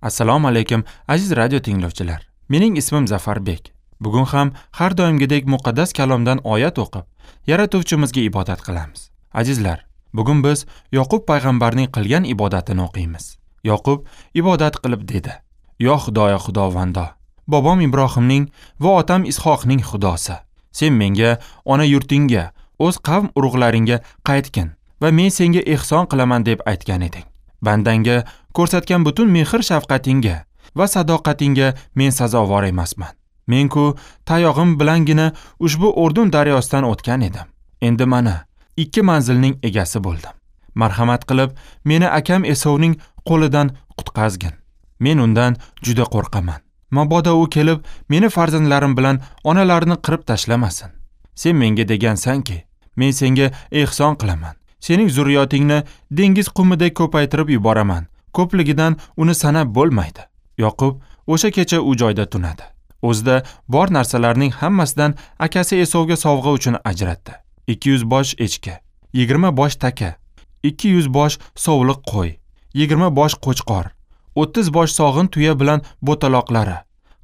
Assalomu alaykum aziz radio tinglovchilar. Mening ismim Zafarbek. Bugun ham har doimgidek muqaddas kalomdan oyat o'qib, Yaratuvchimizga ibodat qilamiz. Azizlar, bugun biz Yoqub payg'ambarning qilgan ibodatini o'qiymiz. Yoqub ibodat qilib dedi: "Yo Xudoyo Xudovando, bobom Ibrohimning va otam Ishoqning Xudosi, sen menga ona yurtingga, o'z qavm urug'laringga qaytgin va men senga ehson qilaman deb aytgan eding. Bandangga ko'rsatgan butun mehr shafqatingga va sadoqatingga men sazovor emasman. Men-ku tayog'im bilangina ushbu Urdun daryosidan o'tgan edim. Endi mana ikki manzilning egasi bo'ldim. Marhamat qilib meni akam Esovning qo'lidan qutqazgin. Men undan juda qo'rqaman. Mabodo u kelib meni farzandlarim bilan onalarini qirib tashlamasin. Sen menga degansan-ki, men senga ehson qilaman. Sening zurriyotingni dengiz qumidek ko'paytirib yuboraman. Ko'pligidan uni sanab bo'lmaydi." Yoqub o'sha kecha u joyda tunadi. O'zida bor narsalarning hammasidan akasi Esovga sovg'a uchun ajratdi. 200 bosh echki, 20 bosh taka, 200 bosh sovliq qo'y, 20 bosh qo'chqor, 30 bosh sog'in tuya bilan bo'taloqlari,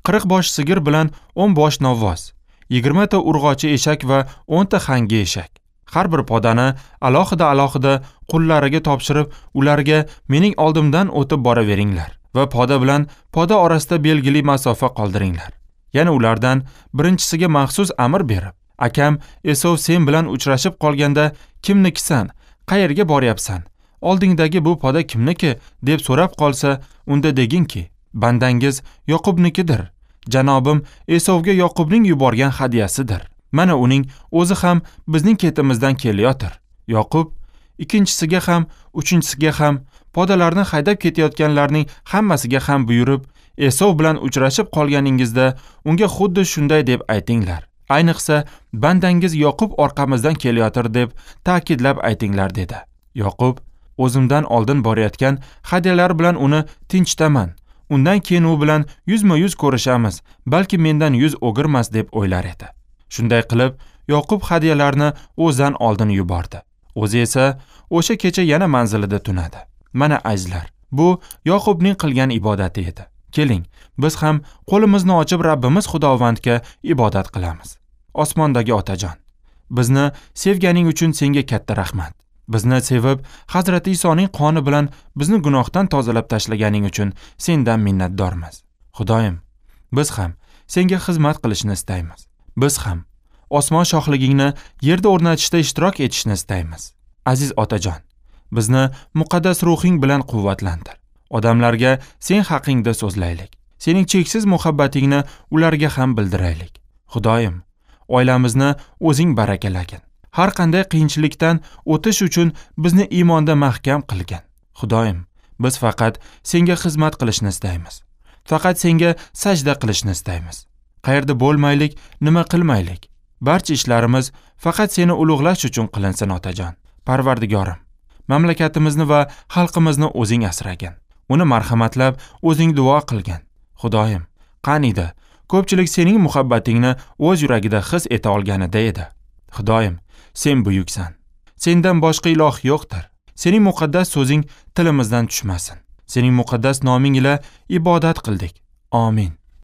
40 bosh sigir bilan 10 bosh novvoz, 20 ta urg'ochi eshak va 10 ta hangi eshak. Har bir podani alohida-alohida qullariga topshirib, ularga mening oldimdan o'tib boraveringlar va poda bilan poda orasida belgili masofa qoldiringlar. Yana ulardan birinchisiga maxsus amr berib, akam Esov sen bilan uchrashib qolganda kimnikisan, qayerga boryapsan, oldingdagi bu poda kimniki deb so'rab qolsa, unda deginki, bandangiz Yoqubnikidir. Janobim Esovga Yoqubning yuborgan hadiyasidir. Mana uning o'zi ham bizning ketimizdan kelayotir. Yoqub ikkinchisiga ham, uchinchisiga ham, podalarni haydab ketayotganlarning hammasiga ham buyurib, Esov bilan uchrashib qolganingizda unga xuddi shunday deb aytinglar. Ayniqsa, bandangiz Yoqub orqamizdan kelayotir deb ta'kidlab aytinglar dedi. Yoqub o'zimdan oldin borayotgan hadyalar bilan uni tinchitaman. Undan keyin u bilan yuzma-yuz ko'rishamiz, balki mendan yuz o'girmas deb o'ylar edi. Shunday qilib, Yoqub hadyalarni o'zidan oldin yubordi. O'zi esa o'sha kecha yana manzilida tunadi. Mana azizlar, bu Yoqubning qilgan ibodati edi. Keling, biz ham qo'limizni ochib Rabbimiz Xudovandga ibodat qilamiz. Osmondagi Otajon, bizni sevganing uchun senga katta rahmat. Bizni sevib, Hazrati Isoning qoni bilan bizni gunohdan tozalab tashlaganing uchun sendan minnatdormiz. Xudoyim, biz ham senga xizmat qilishni istaymiz. Biz ham osmon shohligingni yerda o'rnatishda ishtirok etishni istaymiz. Aziz Otajon, bizni muqaddas ruhing bilan quvvatlantir. Odamlarga sen haqingda so'zlaylik. Sening cheksiz muhabbatingni ularga ham bildiraylik. Xudoyim, oilamizni o'zing barakalagin. Har qanday qiyinchilikdan o'tish uchun bizni iymonda mahkam qilgin. Xudoyim, biz faqat senga xizmat qilishni istaymiz. Faqat senga sajda qilishni istaymiz. Qayerda bo'lmaylik, nima qilmaylik. Barcha ishlarimiz faqat seni ulug'lash uchun qilinsin, Otajon. Parvardigorim, mamlakatimizni va xalqimizni o'zing asragin. Uni marhamatlab o'zing duo qilgin. Xudoyim, qaniydi ko'pchilik sening muhabbatingni o'z yuragida his eta olganida edi. Xudoyim, sen buyuksan. Sendan boshqa iloh yo'qdir. Sening muqaddas so'zing tilimizdan tushmasin. Sening muqaddas noming ila ibodat qildik. Amin.